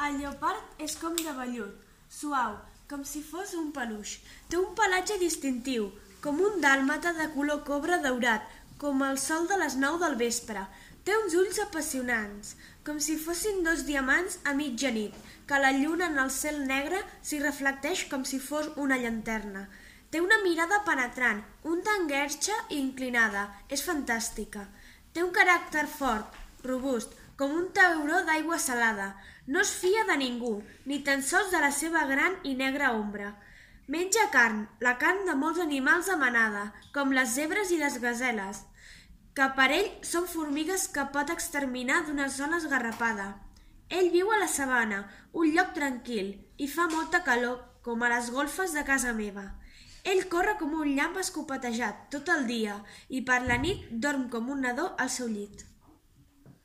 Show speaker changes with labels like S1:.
S1: El lleopard és com de vellut, suau, com si fos un peluix. Té un pelatge distintiu, com un dàlmata de color cobre daurat, com el sol de les 9 del vespre. Té uns ulls apassionants, com si fossin dos diamants a mitjanit, que la lluna en el cel negre s'hi reflecteix com si fos una llanterna. Té una mirada penetrant, un tant guerxa i inclinada, és fantàstica. Té un caràcter fort, robust, com un tauró d'aigua salada. No es fia de ningú, ni tan sols de la seva gran i negra ombra. Menja carn, la carn de molts animals de manada, com les zebres i les gaseles, que per ell són formigues que pot exterminar d'una sola esgarrapada. Ell viu a la sabana, un lloc tranquil, i fa molta calor, com a les golfes de casa meva. Ell corre com un llamp escopetejat tot el dia i per la nit dorm com un nadó al seu llit.